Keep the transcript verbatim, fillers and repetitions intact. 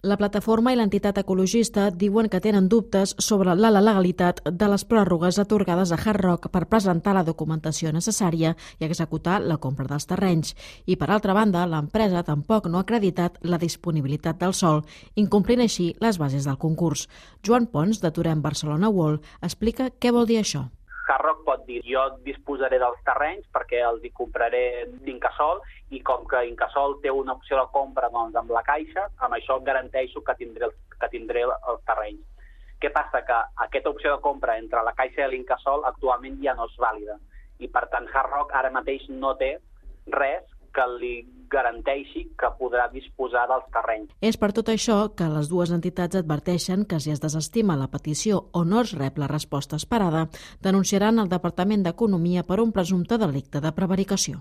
La plataforma i l'entitat ecologista diuen que tenen dubtes sobre la legalitat de les pròrrogues atorgades a Hard Rock per presentar la documentació necessària i executar la compra dels terrenys. I, per altra banda, l'empresa tampoc no ha acreditat la disponibilitat del sòl, incomplint així les bases del concurs. Joan Pons, de Torem Barcelona World, explica què vol dir això. Hard Rock pot dir, jo disposaré dels terrenys perquè els hi compraré d'Incasòl i com que Incasòl té una opció de compra doncs, amb la Caixa, amb això garanteixo que tindré, que tindré els terrenys. Què passa? Que aquesta opció de compra entre la Caixa i l'Incasòl actualment ja no és vàlida i per tant Hard Rock ara mateix no té res que li garanteixi que podrà disposar dels terrenys. És per tot això que les dues entitats adverteixen que si es desestima la petició o no es rep la resposta esperada, denunciaran al Departament d'Economia per un presumpte delicte de prevaricació.